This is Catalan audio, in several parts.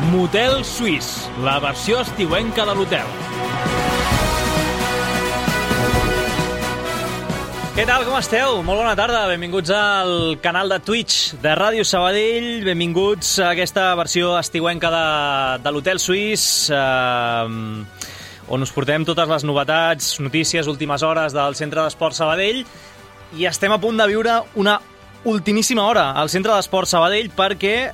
Motel Suís, la versió estiuenca de l'hotel. Què tal, com esteu? Molt bona tarda, benvinguts al canal de Twitch de Ràdio Sabadell, benvinguts a aquesta versió estiuenca de l'Hotel Suís, on us portem totes les novetats, notícies, últimes hores del Centre d'Esport Sabadell, i estem a punt de viure una ultimíssima hora al Centre d'Esport Sabadell perquè,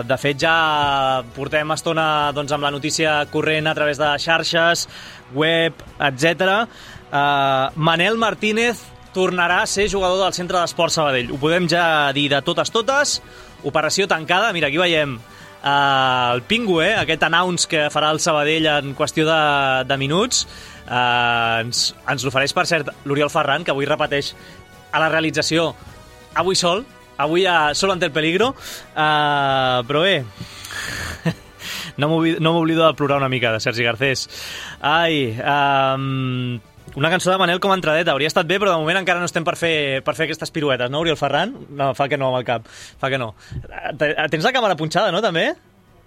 de fet, ja portem estona doncs, amb la notícia corrent a través de xarxes, web, etc. Manel Martínez tornarà a ser jugador del Centre d'Esport Sabadell. Ho podem ja dir de totes. Operació tancada. Mira, aquí veiem el Pingu, aquest announce que farà el Sabadell en qüestió de minuts. Ens l'ofereix, per cert, l'Oriol Ferran, que avui repeteix a la realització avui sol, avui sol ante el peligro, però bé, no m'oblido de plorar una mica de Sergi Garcés. Ai, una cançó de Manel com a entradeta, hauria estat bé, però de moment encara no estem per fer aquestes piruetes, no, Oriol Ferran? No, fa que no amb el cap, fa que no. Tens la càmera punxada, no, també?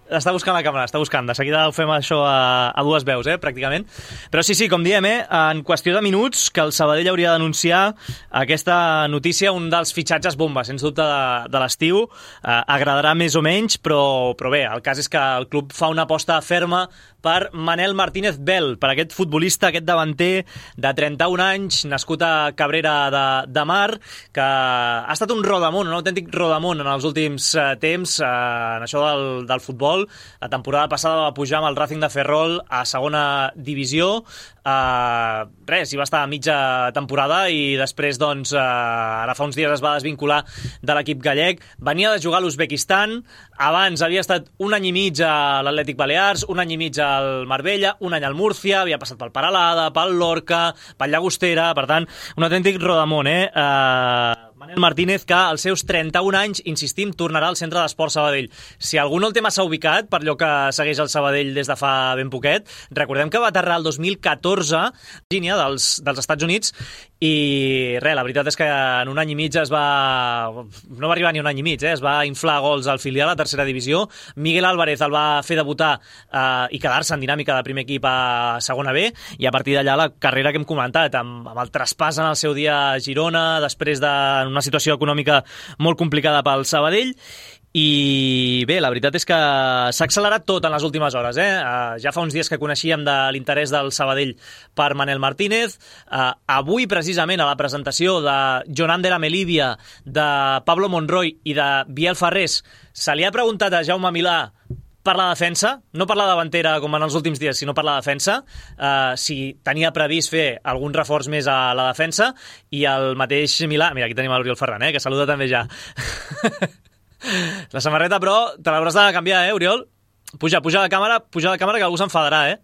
Està buscant la càmera, està buscant. De seguida ho fem això a dues veus, pràcticament. Però sí, com diem, en qüestió de minuts, que el Sabadell hauria d'anunciar aquesta notícia, un dels fitxatges bomba, sens dubte, de l'estiu. Agradarà més o menys, però bé, el cas és que el club fa una aposta ferma per Manel Martínez Bel, per aquest futbolista, aquest davanter de 31 anys, nascut a Cabrera de Mar, que ha estat un rodamón, un autèntic rodamón en els últims temps, en això del futbol. La temporada passada va pujar amb el Racing de Ferrol a segona divisió. Hi va estar a mitja temporada i després, doncs, ara fa uns dies es va desvincular de l'equip gallec. Venia de jugar a l'Uzbekistan, abans havia estat un any i mig a l'Atlètic Balears, un any i mig al Marbella, un any al Múrcia, havia passat pel Peralada, pel Lorca, pel Llagostera, per tant, un autèntic rodamón, Manel Martínez, que als seus 31 anys, insistim, tornarà al Centre d'Esport Sabadell. Si algú no el té massa ubicat, per allò que segueix el Sabadell des de fa ben poquet, recordem que va aterrar el 2014 a Virgínia dels Estats Units i la veritat és que en un any i mig no va arribar ni un any i mig, es va inflar gols al filial a tercera divisió. Miguel Álvarez el va fer debutar i quedar-se en dinàmica de primer equip a segona B, i a partir d'allà la carrera que hem comentat, amb el traspàs en el seu dia a Girona, després d'una situació econòmica molt complicada pel Sabadell. I bé, la veritat és que s'ha accelerat tot en les últimes hores. Ja fa uns dies que coneixíem de l'interès del Sabadell per Manel Martínez. Avui, precisament, a la presentació de Jonander Amelivia, de Pablo Monroy i de Biel Farrés, se li ha preguntat a Jaume Milà per la defensa, no per la davantera com en els últims dies, sinó per la defensa, si tenia previst fer algun reforç més a la defensa, i el mateix Milà... Mira, aquí tenim l'Oriol Ferran, que saluda també ja. La samarreta, però, te l'hauràs de canviar, Oriol? Puja la càmera, que algú s'enfadarà,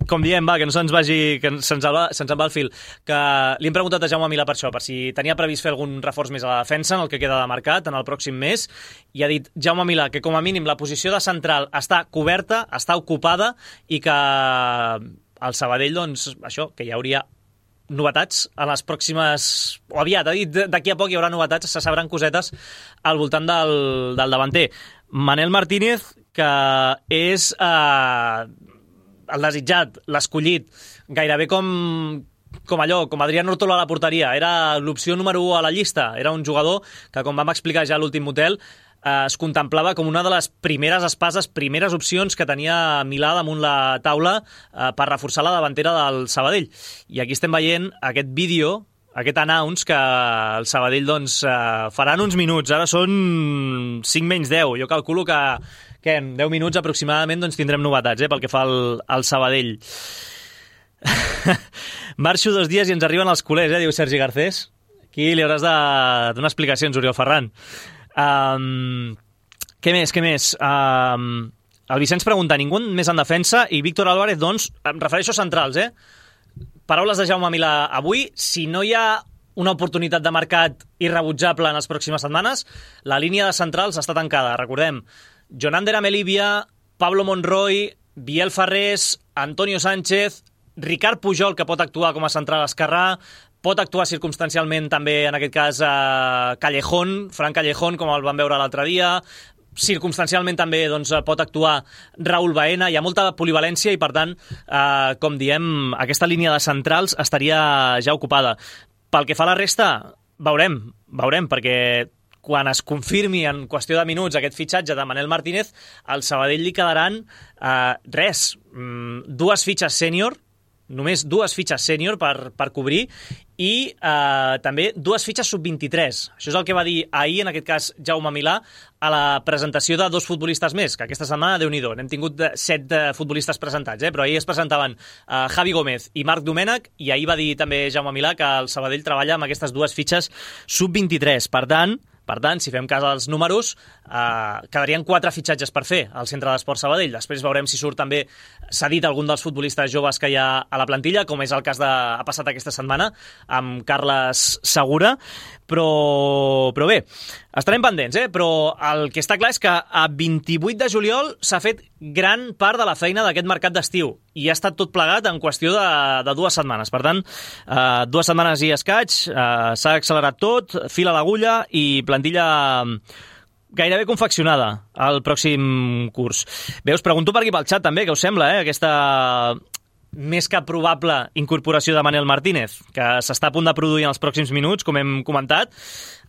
Com diem, que no se'ns vagi, que se'ns en va el fil, que li hem preguntat a Jaume Milà per això, per si tenia previst fer algun reforç més a la defensa en el que queda de mercat en el pròxim mes, i ha dit Jaume Milà que com a mínim la posició de central està coberta, està ocupada, i que el Sabadell, doncs, això, que hi hauria novetats a les pròximes... o aviat, ha dit, d'aquí a poc hi haurà novetats, se sabran cosetes al voltant del davanter. Manel Martínez, que és el desitjat, l'escollit, gairebé com Adrián Ortolo a la porteria. Era l'opció número 1 a la llista. Era un jugador que, com vam explicar ja a l'últim motel, es contemplava com una de les primeres espases, primeres opcions que tenia Milà damunt la taula per reforçar la davantera del Sabadell. I aquí estem veient aquest vídeo, aquest announce que el Sabadell doncs, farà en uns minuts. Ara són 5 menys 10. Jo calculo que en 10 minuts aproximadament doncs, tindrem novetats pel que fa al Sabadell. Marxo 2 dies i ens arriben els culers, diu Sergi Garcés. Aquí li hauràs de donar explicacions, Oriol Ferran. Què més? El Vicenç pregunta, ningú més en defensa, i Víctor Álvarez, doncs, em refereixo a centrals, Paraules de Jaume Milà avui, si no hi ha una oportunitat de mercat irrebutjable en les pròximes setmanes, la línia de centrals està tancada. Recordem, Jonander Amelivia, Pablo Monroy, Biel Farrés, Antonio Sánchez, Ricard Pujol, que pot actuar com a central esquerrà, pot actuar circumstancialment també, en aquest cas, Callejón, Fran Callejón, com el vam veure l'altre dia. Circumstancialment també doncs, pot actuar Raúl Baena. Hi ha molta polivalència i, per tant, com diem, aquesta línia de centrals estaria ja ocupada. Pel que fa a la resta, veurem, perquè quan es confirmi en qüestió de minuts aquest fitxatge de Manel Martínez, al Sabadell li quedaran dues fitxes sènior, només dues fitxes sènior per cobrir, i també dues fitxes sub-23. Això és el que va dir ahir, en aquest cas, Jaume Milà, a la presentació de dos futbolistes més, que aquesta setmana, Déu-n'hi-do, n'hem tingut 7 futbolistes presentats, però ahir es presentaven Javi Gómez i Marc Domènech, i ahir va dir també Jaume Milà que el Sabadell treballa amb aquestes dues fitxes sub-23. Per tant, si fem cas als números, quedarien 4 fitxatges per fer al Centre d'Esports Sabadell. Després veurem si surt també cedit algun dels futbolistes joves que hi ha a la plantilla, com és el cas ha passat aquesta setmana amb Carles Segura. Però bé, estarem pendents, però el que està clar és que a 28 de juliol s'ha fet gran part de la feina d'aquest mercat d'estiu i ha estat tot plegat en qüestió de 2 setmanes. Per tant, 2 setmanes i escaig, s'ha accelerat tot, fil a l'agulla i plantilla gairebé confeccionada al pròxim curs. Bé, us pregunto per aquí pel xat també, què us sembla, aquesta més que probable incorporació de Manel Martínez, que s'està a punt de produir en els pròxims minuts, com hem comentat,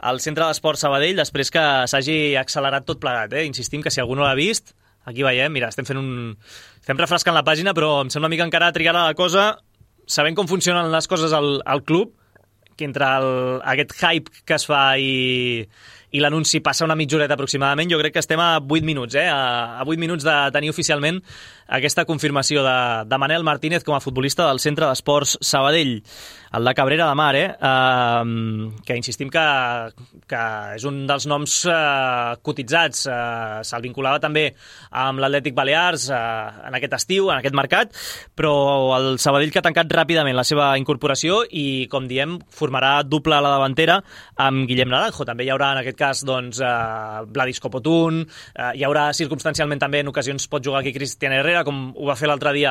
al Centre d'Esports Sabadell, després que s'hagi accelerat tot plegat. Insistim que si algú no l'ha vist, aquí veiem, mira, estem refrescant la pàgina, però em sembla una mica encara trigarà la cosa, sabent com funcionen les coses al club, que entre aquest hype que es fa i l'anunci passa una mitja horeta aproximadament, jo crec que estem a 8 minuts, a 8 minuts de tenir oficialment aquesta confirmació de Manel Martínez com a futbolista del Centre d'Esports Sabadell, el de Cabrera de Mar, que insistim que és un dels noms cotitzats. Se'l vinculava també amb l'Atlètic Balears en aquest estiu, en aquest mercat, però el Sabadell que ha tancat ràpidament la seva incorporació i, com diem, formarà doble a la davantera amb Guillem Naranjo. També hi haurà, en aquest cas, Vladis Copotún, hi haurà circumstancialment també en ocasions pot jugar aquí Cristian Herrera, com ho va fer l'altre dia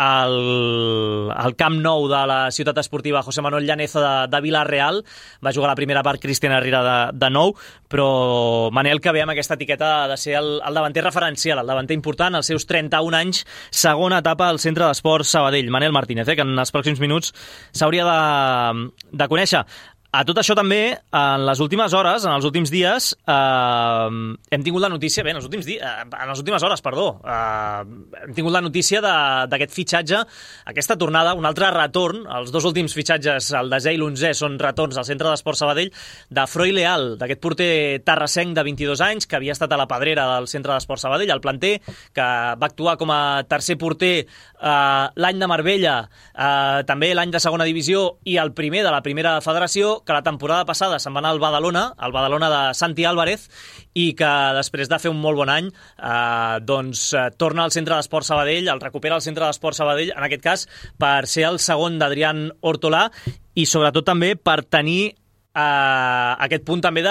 al Camp Nou de la ciutat esportiva José Manuel Llanezo de Vila-real. Va jugar la primera part Cristian Herrera de nou, però Manel, que ve amb aquesta etiqueta de ser el davanter referencial, el davanter important, als seus 31 anys, segona etapa al Centre d'Esports Sabadell. Manel Martínez, que en els pròxims minuts s'hauria de conèixer. A tot això també, en les últimes hores, en els últims dies, hem tingut la notícia, en les últimes hores, hem tingut la notícia d'aquest fitxatge, aquesta tornada, un altre retorn. Els 2 últims fitxatges, el 10è i l'11è, són retorns al Centre d'Esports Sabadell, de Froi Leal, d'aquest porter tarrasenc de 22 anys, que havia estat a la pedrera del Centre d'Esports Sabadell, al planter, que va actuar com a tercer porter l'any de Marbella, també l'any de segona divisió i el primer de la primera federació, que la temporada passada se'n va anar al Badalona de Santi Álvarez, i que després de fer un molt bon any torna al Centre d'Esports Sabadell, el recupera al Centre d'Esports Sabadell, en aquest cas per ser el segon d'Adrián Hortolà i sobretot també per tenir aquest punt també de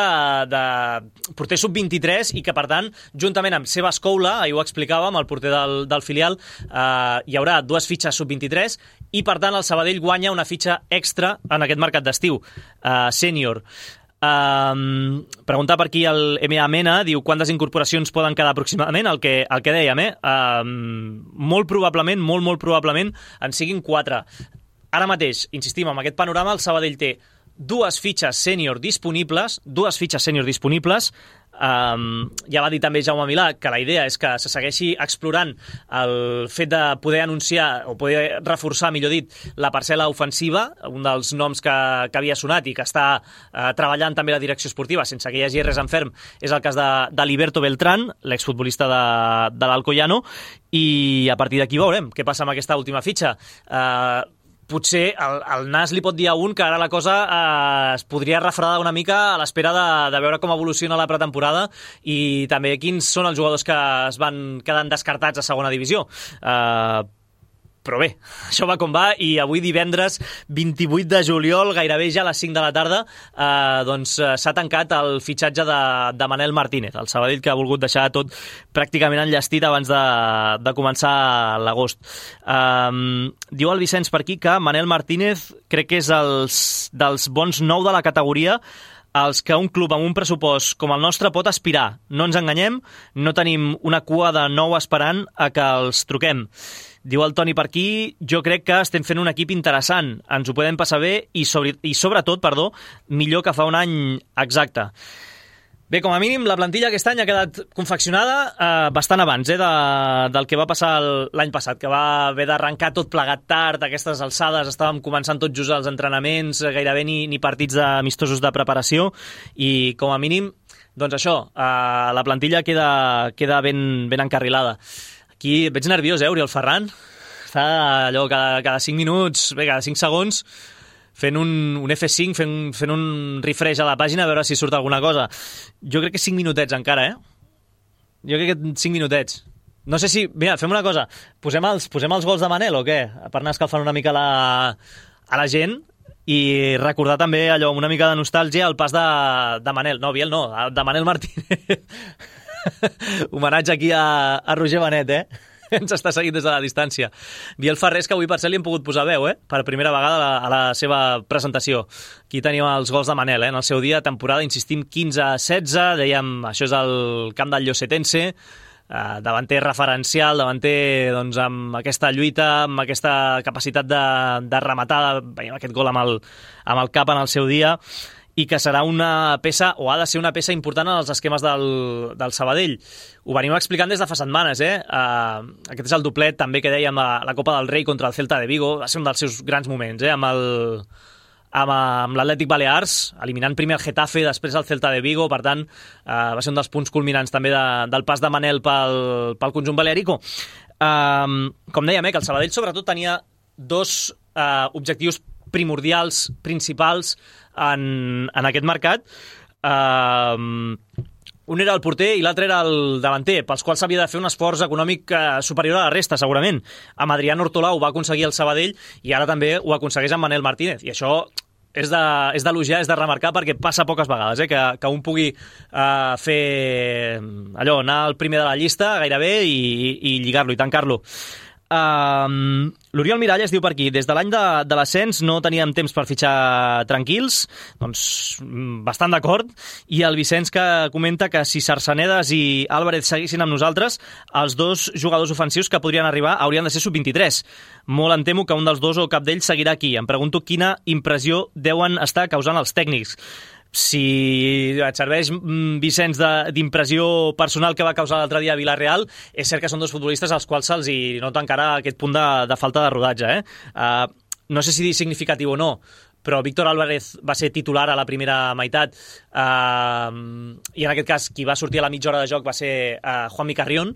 porter sub-23 i que, per tant, juntament amb Seba Escoula, ahir ho explicàvem, el porter del filial, hi haurà 2 fitxes sub-23 i, per tant, el Sabadell guanya una fitxa extra en aquest mercat d'estiu, sènior. Preguntar per aquí el M.A. Mena, diu quantes incorporacions poden quedar aproximadament, el que dèiem, molt probablement en siguin 4. Ara mateix, insistim, amb aquest panorama el Sabadell té 2 fitxes sènior disponibles. Ja va dir també Jaume Milà que la idea és que se segueixi explorant el fet de poder anunciar o poder reforçar, millor dit, la parcel·la ofensiva, un dels noms que havia sonat i que està treballant també la direcció esportiva sense que hi hagi res en ferm és el cas de Liberto Beltrán, l'exfutbolista de l'Alcoyano, i a partir d'aquí veurem què passa amb aquesta última fitxa. Potser el nas li pot dir a un que ara la cosa es podria refredar una mica a l'espera de veure com evoluciona la pretemporada i també quins són els jugadors que es van quedant descartats a segona divisió. Però bé, això va com va, i avui divendres 28 de juliol, gairebé ja a les 5 de la tarda, s'ha tancat el fitxatge de Manel Martínez, el Sabadell, que ha volgut deixar tot pràcticament enllestit abans de començar l'agost. Diu el Vicenç per aquí que Manel Martínez crec que és dels bons 9 de la categoria els que un club amb un pressupost com el nostre pot aspirar. No ens enganyem, no tenim una cua de 9 esperant a que els truquem. Diu el Toni per aquí, jo crec que estem fent un equip interessant, ens ho podem passar bé i sobretot, millor que fa un any exacte. Bé, com a mínim, la plantilla aquest any ha quedat confeccionada bastant abans del que va passar l'any passat, que va haver d'arrencar tot plegat tard, a aquestes alçades estàvem començant tot just els entrenaments, gairebé ni partits amistosos de preparació, i com a mínim, doncs això, la plantilla queda ben encarrilada. Aquí veig nerviós, Oriol Ferran? Està allò cada 5 minuts, cada 5 segons, fent un F5, fent un refresh a la pàgina a veure si surt alguna cosa. Jo crec que 5 minutets encara, Jo crec que 5 minutets. No sé si... Mira, fem una cosa. Posem els gols de Manel o què? Per anar escalfant una mica a la gent i recordar també allò, una mica de nostàlgia, el pas de Manel. No, Biel no, de Manel Martínez. Homenatge aquí a Roger Benet, ens està seguint des de la distància. Biel Ferrés, que avui per cert li hem pogut posar veu, per primera vegada a la seva presentació. Aquí tenim els gols de Manel, en el seu dia, temporada, insistim, 15-16, dèiem, això és el camp del Llosetense, davanter referencial, davanter doncs, amb aquesta lluita, amb aquesta capacitat de rematar, veiem aquest gol amb el cap en el seu dia, i que serà una peça, o ha de ser una peça important en els esquemes del Sabadell. Ho venim explicant des de fa setmanes, Aquest és el doblet també que dèiem a la Copa del Rei contra el Celta de Vigo, va ser un dels seus grans moments, amb l'Atlètic Balears, eliminant primer el Getafe, després el Celta de Vigo, per tant, va ser un dels punts culminants també del pas de Manel pel conjunt balearico. Com dèiem, que el Sabadell sobretot tenia dos objectius primordials, principals en aquest mercat. Un era el porter i l'altre era el davanter, pels quals s'havia de fer un esforç econòmic superior a la resta, segurament. Amb Adrián Ortolà ho va aconseguir el Sabadell i ara també ho aconsegueix amb Manel Martínez. I això és d'elogiar, és de remarcar, perquè passa poques vegades, que un pugui fer allò, anar al primer de la llista gairebé i lligar-lo i tancar-lo. L'Oriol Miralles diu per aquí, des de l'any de l'ascens no teníem temps per fitxar tranquils, doncs bastant d'acord, i el Vicenç que comenta que si Sarsanedas i Álvarez seguissin amb nosaltres, els dos jugadors ofensius que podrien arribar haurien de ser sub-23. Molt em temo que un dels dos o cap d'ells seguirà aquí. Em pregunto quina impressió deuen estar causant els tècnics. Si et serveix, Vicenç, d'impressió personal que va causar l'altre dia a Villarreal, és cert que són dos futbolistes als quals se'ls nota encara aquest punt de falta de rodatge. No sé si dir significatiu o no, però Víctor Álvarez va ser titular a la primera meitat i en aquest cas qui va sortir a la mitja hora de joc va ser Juanmi Carrión,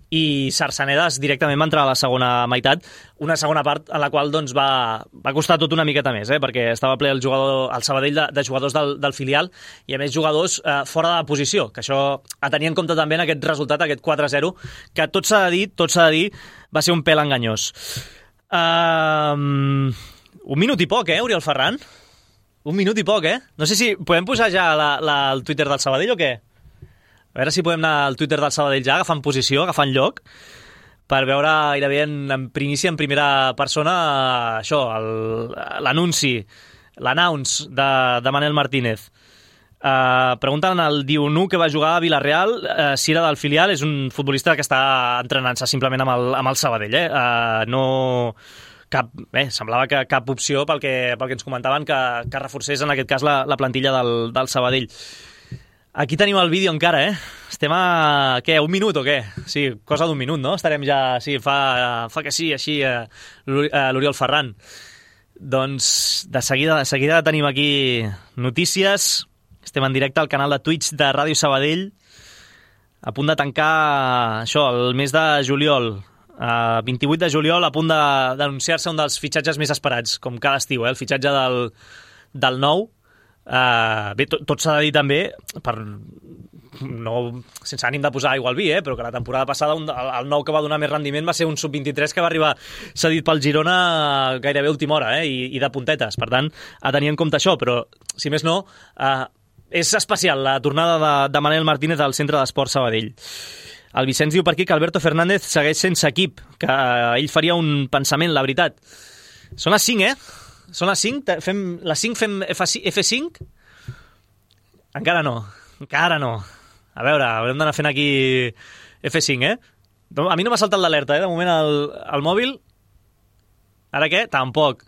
i Sarsanedas directament va entrar a la segona meitat, una segona part en la qual doncs, va costar tot una miqueta més, perquè estava ple el Sabadell de jugadors del filial, i a més jugadors fora de posició, que això a tenir en compte també en aquest resultat, aquest 4-0, que tot s'ha de dir, va ser un pèl enganyós. Un minut i poc, Oriol Ferran? Un minut i poc, No sé si podem posar ja el Twitter del Sabadell o què? A veure si podem anar al Twitter del Sabadell ja, agafant posició, agafant lloc, per veure gairebé en primícia, en primera persona, això, l'anunci, l'announce de Manel Martínez. Pregunten al Dionu, que va jugar a Villarreal, si era del filial. És un futbolista que està entrenant-se simplement amb el Sabadell, no... semblava que cap opció pel que ens comentaven que reforcés en aquest cas la plantilla del Sabadell. Aquí tenim el vídeo encara, Estem a, un minut o què? Sí, cosa d'un minut, no? Estarem ja, sí, fa que sí, així, l'Oriol Ferran. Doncs de seguida tenim aquí notícies. Estem en directe al canal de Twitch de Ràdio Sabadell, a punt de tancar això, el mes de juliol. 28 de juliol, a punt d'anunciar-se un dels fitxatges més esperats, com cada estiu, el fitxatge del nou. Bé, tot s'ha de dir també, sense ànim de posar aigua al vi, però que la temporada passada el nou que va donar més rendiment va ser un sub-23 que va arribar cedit pel Girona gairebé a última hora, i de puntetes. Per tant, a tenir en compte això, però, si més no, és especial la tornada de Manel Martínez al Centre d'Esports Sabadell. El Vicenç diu per aquí que Alberto Fernández segueix sense equip, que ell faria un pensament, la veritat. Són les 5, Són les 5? Les 5 fem F5? Encara no. A veure, haurem d'anar fent aquí F5, A mi no m'ha saltat l'alerta, De moment el mòbil... Ara què? Tampoc.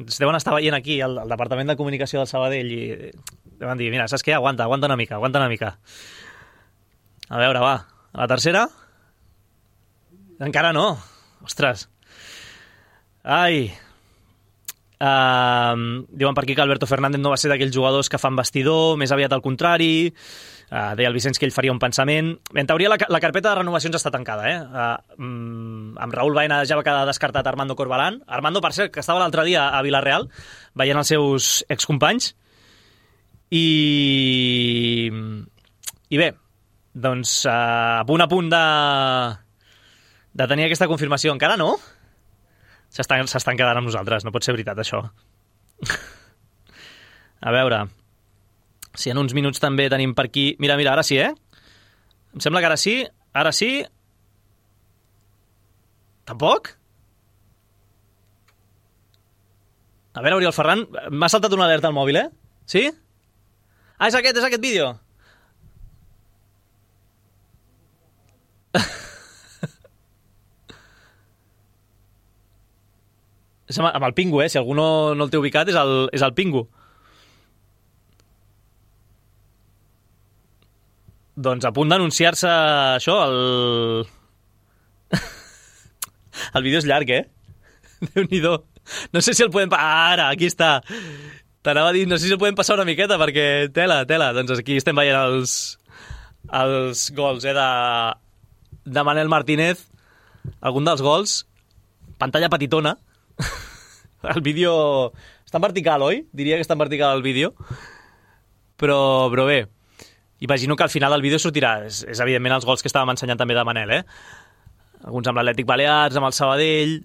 Es deuen estar veient aquí, al Departament de Comunicació del Sabadell, i deuen dir, mira, saps què? Aguanta una mica. A veure, va. A la tercera? Encara no. Ostres. Ai. Diuen per aquí que Alberto Fernández no va ser d'aquells jugadors que fan vestidor, més aviat al contrari. Deia el Vicenç que ell faria un pensament. En teoria la carpeta de renovacions està tancada, amb Raúl Baena ja va quedar descartat Armando Corbalán. Armando, per cert, que estava l'altre dia a Vilareal veient els seus excompanys. I bé, doncs a punt de tenir aquesta confirmació. Encara no? S'estan quedant amb nosaltres, no pot ser veritat, això. A veure, si en uns minuts també tenim per aquí... Mira, ara sí, Em sembla que ara sí. Tampoc? A veure, Oriol Ferran, m'ha saltat una alerta al mòbil, Sí? Ah, és aquest vídeo. És amb el Pingu, si algú no el té ubicat, és el Pingu. Doncs a punt d'anunciar-se això, el vídeo és llarg, Déu-n'hi-do. No sé si el podem... Ara, aquí està. T'anava a dir, no sé si el podem passar una miqueta, perquè tela. Doncs aquí estem veient els gols, de Manel Martínez. Algun dels gols, pantalla petitona. El vídeo està en vertical, oi? Diria que està en vertical el vídeo. Però bé, imagino que al final del vídeo sortirà, és evidentment els gols que estàvem ensenyant també de Manel, Alguns amb l'Atlètic Balears, amb el Sabadell.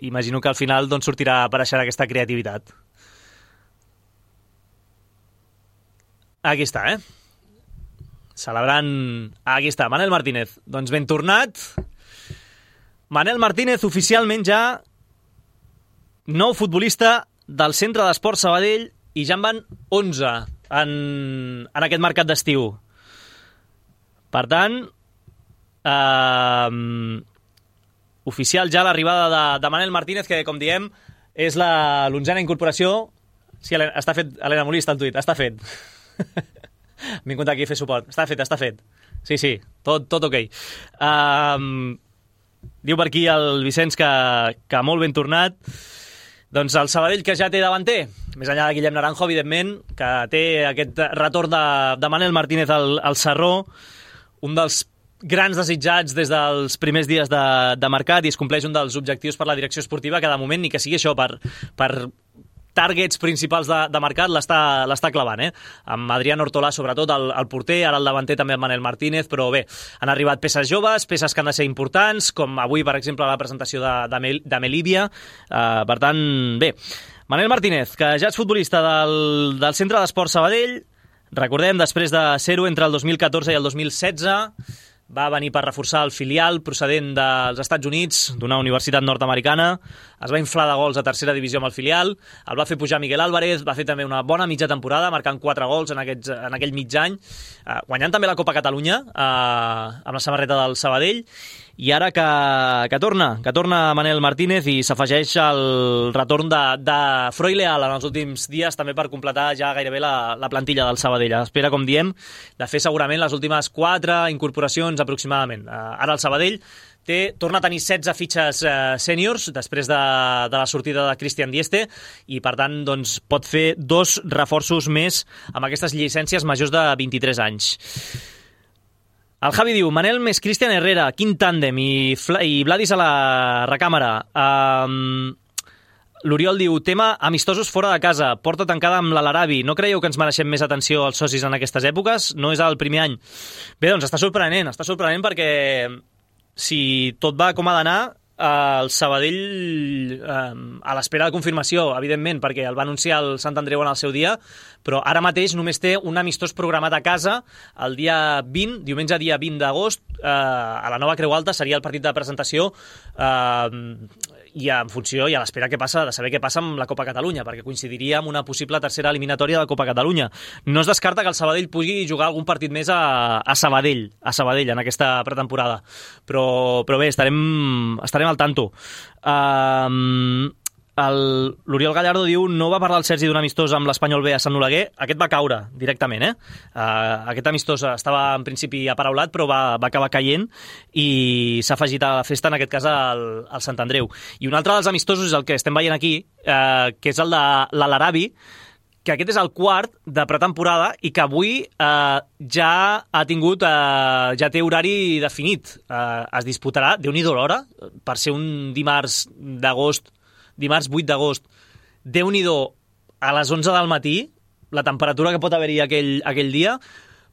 Imagino que al final doncs, sortirà a aparèixer aquesta creativitat. Aquí està, Celebrant... Aquí està, Manel Martínez. Doncs ben tornat. Manel Martínez oficialment ja nou futbolista del Centre d'Esports Sabadell, i ja en van 11 en aquest mercat d'estiu. Per tant, oficial ja l'arribada de Manel Martínez, que, com diem, és l'onzena incorporació. Sí, està fet, Helena Molí està al tuit, està fet. M'he vingut aquí a fer suport. Està fet. Sí, tot ok. Diu per aquí el Vicenç que molt ben tornat. Doncs el Sabadell, que ja té davanter, més enllà de Guillem Naranjo, evidentment, que té aquest retorn de Manel Martínez al Sarró, un dels grans desitjats des dels primers dies de mercat, i es compleix un dels objectius per la direcció esportiva, que de moment ni que sigui això per targets principals de mercat l'està clavant, amb Adrián Hortolà sobretot el porter, ara el davanter també amb Manel Martínez, però bé, han arribat peces joves, peces que han de ser importants, com avui per exemple la presentació de Melívia. Per tant, bé, Manel Martínez, que ja és futbolista del Centre d'Esports Sabadell, recordem, després de ser-ho entre el 2014 i el 2016, va venir per reforçar el filial procedent dels Estats Units, d'una universitat nord-americana. Es va inflar de gols a tercera divisió amb el filial, el va fer pujar Miguel Álvarez, va fer també una bona mitja temporada, marcant 4 gols en aquell mig any, guanyant també la Copa Catalunya amb la samarreta del Sabadell. I ara que torna Manel Martínez, i s'afegeix el retorn de Freud Leal en els últims dies, també per completar ja gairebé la plantilla del Sabadell. Espera, com diem, de fer segurament les últimes 4 incorporacions aproximadament. Ara el Sabadell torna a tenir 16 fitxes sèniors després de la sortida de Christian Dieste, i per tant doncs, pot fer 2 reforços més amb aquestes llicències majors de 23 anys. El Javi diu, Manel més Cristian Herrera, quin tàndem, i Vladis a la recàmera. L'Oriol diu, tema amistosos fora de casa, porta tancada amb l'Alarabi. No creieu que ens mereixem més atenció als socis en aquestes èpoques? No és el primer any. Bé, doncs està sorprenent perquè si tot va com ha d'anar, el Sabadell, a l'espera de confirmació, evidentment, perquè el va anunciar el Sant Andreu en el seu dia, però ara mateix només té un amistós programat a casa el dia 20, diumenge dia 20 d'agost, a la Nova Creu Alta, seria el partit de presentació, i en funció i a l'espera de saber què passa amb la Copa Catalunya, perquè coincidiria amb una possible tercera eliminatòria de la Copa Catalunya. No es descarta que el Sabadell pugui jugar algun partit més a Sabadell en aquesta pretemporada. Però bé, estarem al tanto. L'Oriol Gallardo diu, no va parlar el Sergi d'un amistós amb l'Espanyol B a Sant Oleguer, aquest va caure directament, aquest amistós estava en principi aparaulat, però va acabar caient i s'ha afegit a la festa, en aquest cas al Sant Andreu. I un altre dels amistosos és el que estem veient aquí, que és el de l'Alarabi, que aquest és el quart de pretemporada i que avui ja té horari definit. Es disputarà, Déu-n'hi-do l'hora, per ser un dimarts 8 d'agost, Déu-n'hi-do, a les 11 del matí, la temperatura que pot haver-hi aquell dia,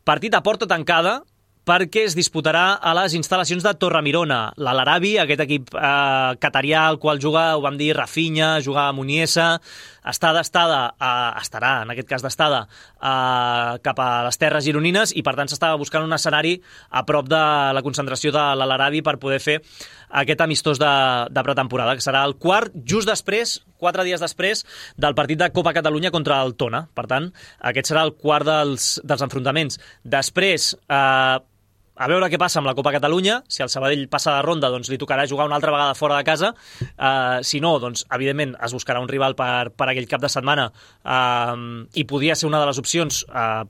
partit a porta tancada, perquè es disputarà a les instal·lacions de Torremirona. L'Alarabi, aquest equip catarià al qual juga, ho vam dir, Rafinha, juga a Muniesa, estarà, en aquest cas d'estada, cap a les terres gironines i, per tant, s'estava buscant un escenari a prop de la concentració de l'Alarabi per poder fer aquest amistós de pretemporada, que serà el quart, just després, 4 dies després, del partit de Copa Catalunya contra el Tona. Per tant, aquest serà el quart dels enfrontaments. Després, a veure què passa amb la Copa Catalunya. Si el Sabadell passa de ronda, doncs li tocarà jugar una altra vegada fora de casa. Si no, doncs, evidentment, es buscarà un rival per aquell cap de setmana i podria ser una de les opcions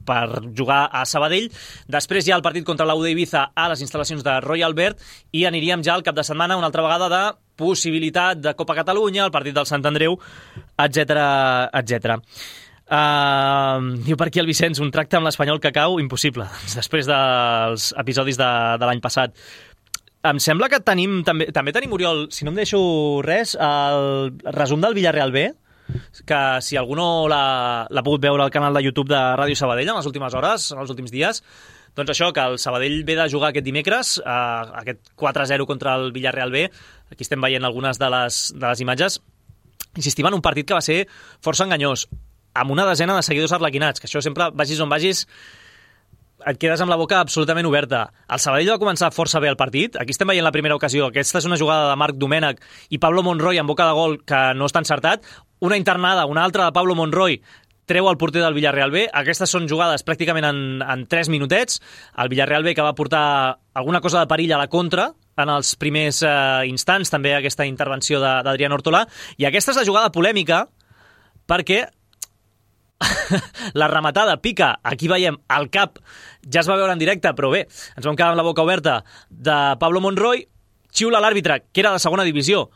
per jugar a Sabadell. Després hi ha el partit contra l'UD Ibiza a les instal·lacions de Royal Albert i aniríem ja al cap de setmana una altra vegada de possibilitat de Copa Catalunya, el partit del Sant Andreu, etc. Diu per aquí el Vicenç, un tracte amb l'Espanyol que cau, impossible, després dels episodis de l'any passat. Em sembla que també tenim, Oriol, si no em deixo res, el resum del Villarreal B, que si algú no l'ha pogut veure al canal de YouTube de Ràdio Sabadell en les últimes hores, en els últims dies, doncs això, que el Sabadell ve de jugar aquest dimecres, aquest 4-0 contra el Villarreal B, aquí estem veient algunes de les imatges, insistim en un partit que va ser força enganyós, amb una desena de seguidors arlequinats, que això sempre, vagis on vagis, et quedes amb la boca absolutament oberta. El Sabadell va començar força bé el partit, aquí estem veient la primera ocasió, aquesta és una jugada de Marc Domènech i Pablo Monroy en boca de gol que no està encertat, una internada, una altra de Pablo Monroy, treu el porter del Villarreal B, aquestes són jugades pràcticament en 3 minutets, el Villarreal B que va portar alguna cosa de perill a la contra, en els primers instants, també aquesta intervenció d'Adrián Hortolà, i aquesta és la jugada polèmica, perquè la rematada pica, aquí veiem el cap, ja es va veure en directe, però bé, ens vam quedar amb la boca oberta, de Pablo Monroy, xiula l'àrbitre, que era de segona divisió,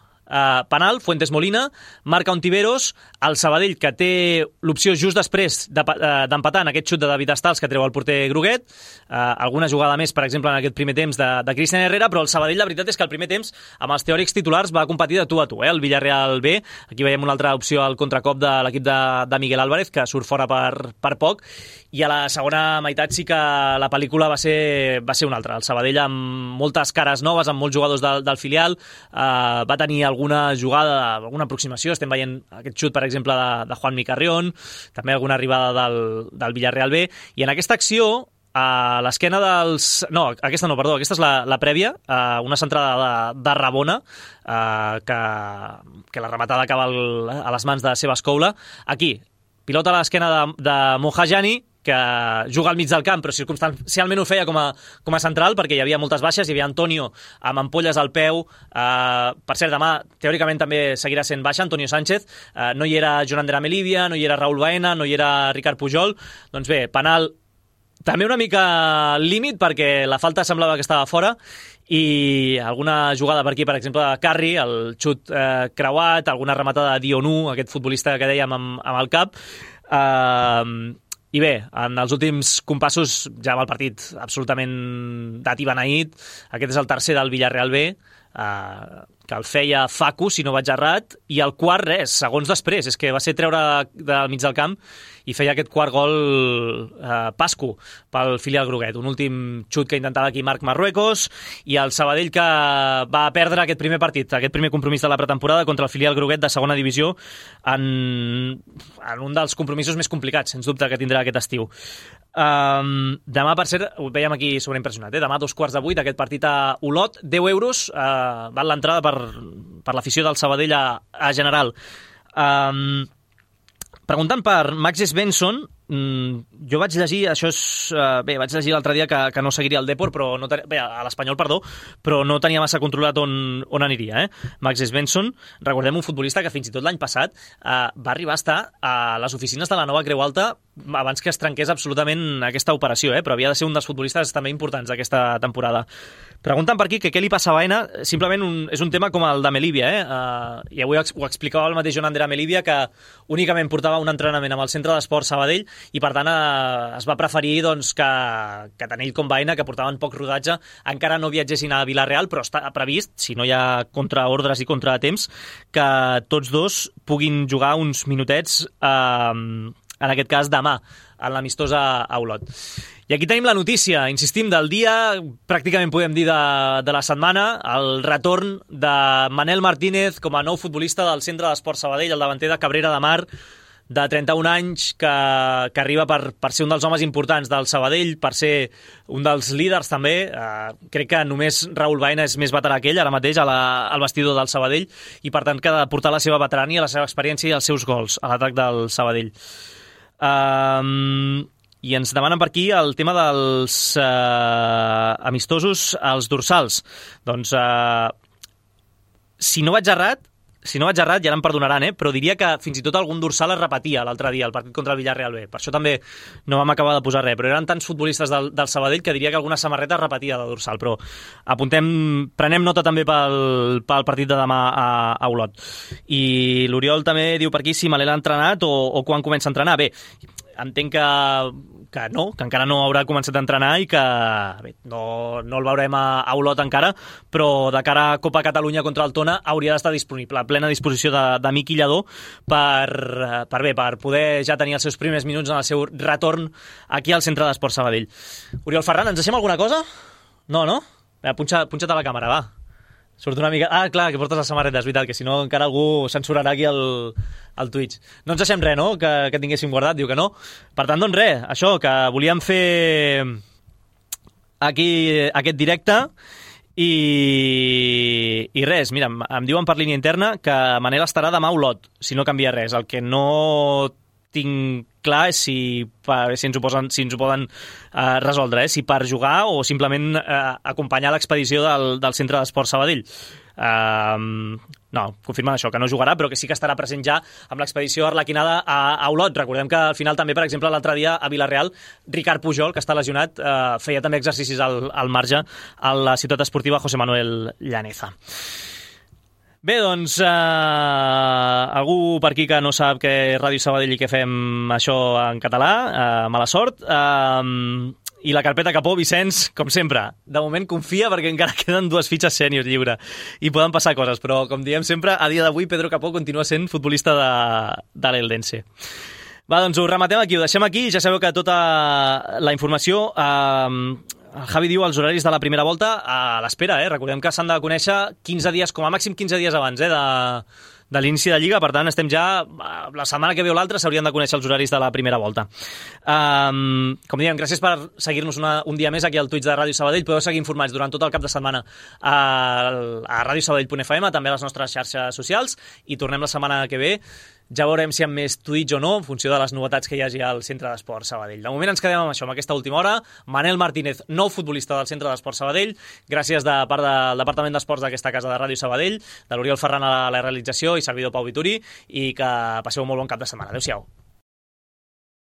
penal, Fuentes Molina, marca Ontiveros, el Sabadell que té l'opció just després d'empatar en aquest xut de David Estals que treu el porter Groguet, alguna jugada més, per exemple, en aquest primer temps de Cristian Herrera, però el Sabadell la veritat és que el primer temps amb els teòrics titulars va competir de tu a tu, el Villarreal B, aquí veiem una altra opció al contracop de l'equip de Miguel Álvarez, que surt fora per poc, i a la segona meitat sí que la pel·lícula va ser una altra, el Sabadell amb moltes cares noves, amb molts jugadors del filial, va tenir alguna jugada, alguna aproximació, estem veient aquest xut, per exemple, de Juanmi Carrión, també alguna arribada del Villarreal B, i en aquesta acció, a l'esquena dels... No, aquesta no, perdó, aquesta és la prèvia, una centrada de Rabona, que la rematada acaba a les mans de Sebas Coula. Aquí, pilota a l'esquena de Mohajani, que juga al mig del camp, però circumstancialment ho feia com a central, perquè hi havia moltes baixes, hi havia Antonio amb ampolles al peu, per cert, demà teòricament també seguirà sent baixa Antonio Sánchez, no hi era Joan Ander Melivia, no hi era Raúl Baena, no hi era Ricard Pujol, doncs bé, penal també una mica límit, perquè la falta semblava que estava fora, i alguna jugada per aquí, per exemple, de Carri, el xut creuat, alguna rematada de Dionu, aquest futbolista que dèiem amb el cap, i bé, en els últims compassos ja amb el partit absolutament dat i beneït, aquest és el tercer del Villarreal B, que el feia Facu, si no vaig errat, i el quart, res, segons després, és que va ser treure del mig del camp i feia aquest quart gol Pascu pel filial groguet. Un últim xut que intentava aquí Marc Marruecos, i el Sabadell que va perdre aquest primer partit, aquest primer compromís de la pretemporada contra el filial groguet de segona divisió en un dels compromisos més complicats, sens dubte, que tindrà aquest estiu. Demà, per cert, ho veiem aquí sobreimpressionat, demà 7:15 aquest partit a Olot, 10 euros val l'entrada per l'afició del Sabadell a general. Preguntant per Max Svensson, jo vaig llegir, vaig llegir l'altre dia que no seguiria el Depor, a l'Espanyol, però no tenia massa controlat on aniria. Max Svensson, recordem, un futbolista que fins i tot l'any passat va arribar a estar a les oficines de la nova Creu Alta abans que es trenqués absolutament aquesta operació, però havia de ser un dels futbolistes també importants d'aquesta temporada. Pregunten per aquí que què li passa a Baena, simplement és un tema com el de Melívia, i avui ho explicava el mateix Joan Andrea Melívia, que únicament portava un entrenament amb el Centre d'Esport Sabadell i per tant es va preferir que tant ell com Baena, que portaven poc rodatge, encara no viatgessin a Vila-real, però està previst, si no hi ha contraordres i contratemps, que tots dos puguin jugar uns minutets, en aquest cas demà, en l'amistós a Olot. I aquí tenim la notícia, insistim, del dia, pràcticament podem dir de la setmana, el retorn de Manel Martínez com a nou futbolista del Centre d'Esport Sabadell, el davanter de Cabrera de Mar, de 31 anys, que arriba per ser un dels homes importants del Sabadell, per ser un dels líders també. Crec que només Raül Baena és més veterà que ell ara mateix al vestidor del Sabadell, i per tant que ha de portar la seva veterania, la seva experiència i els seus gols a l'atac del Sabadell. I ens demanen per aquí el tema dels amistosos als dorsals. Doncs, si no vaig errat, ja ara em perdonaran, però diria que fins i tot algun dorsal es repetia l'altre dia, el partit contra el Villarreal B. Per això també no vam acabar de posar res, però eren tants futbolistes del Sabadell que diria que alguna samarreta es repetia de dorsal, però prenem nota també pel partit de demà a Olot. I l'Oriol també diu per aquí si Manel ha entrenat o quan comença a entrenar. Bé, entenc que encara no haurà començat a entrenar i que no el veurem a Olot encara, però de cara a Copa Catalunya contra el Tona hauria d'estar disponible, a plena disposició de Miqui Lladó per poder ja tenir els seus primers minuts en el seu retorn aquí al Centre d'Esport Sabadell. Oriol Ferran, ens deixem alguna cosa? No? Punxa't a la càmera, va. Surt una mica... clar, que portes la samarreta, és veritat, que si no encara algú censurarà aquí al Twitch. No ens deixem res, no?, que tinguéssim guardat, diu que no. Per tant, doncs res, això, que volíem fer aquí aquest directe i res, mira, em diuen per línia interna que Manel estarà demà a Olot, si no canvia res. El que no tinc clar és si ens ho poden resoldre, si per jugar o simplement acompanyar l'expedició del Centre d'Esport Sabadell. No, confirmen això, que no jugarà, però que sí que estarà present ja amb l'expedició arlequinada a Olot. Recordem que al final també, per exemple, l'altre dia a Vila-real, Ricard Pujol, que està lesionat, feia també exercicis al marge a la ciutat esportiva José Manuel Llaneza. Bé, doncs, algú per aquí que no sap què és Ràdio Sabadell i que fem això en català, mala sort. I la carpeta Capó, Vicenç, com sempre, de moment confia perquè encara queden 2 fitxes sèniors lliure i poden passar coses, però com diem sempre, a dia d'avui Pedro Capó continua sent futbolista de l'Eldense. Va, doncs ho rematem aquí, ho deixem aquí. Ja sabeu que tota la informació... El Javi diu els horaris de la primera volta a l'espera, Recordem que s'han de conèixer 15 dies, com a màxim 15 dies abans, de l'inici de Lliga. Per tant, estem ja... La setmana que ve o l'altra s'haurien de conèixer els horaris de la primera volta. Com diem, gràcies per seguir-nos un dia més aquí al Twitch de Ràdio Sabadell. Podeu seguir informats durant tot el cap de setmana a radiosabadell.fm, també a les nostres xarxes socials, i tornem la setmana que ve. Ja veurem si hi ha més Twitch o no, en funció de les novetats que hi hagi al Centre d'Esport Sabadell. De moment ens quedem amb això, amb aquesta última hora. Manel Martínez, nou futbolista del Centre d'Esport Sabadell. Gràcies de part del Departament d'Esports d'aquesta casa de Ràdio Sabadell, de l'Oriol Ferran a la realització i servidor Pau Vituri, i que passeu un molt bon cap de setmana. Adéu-siau.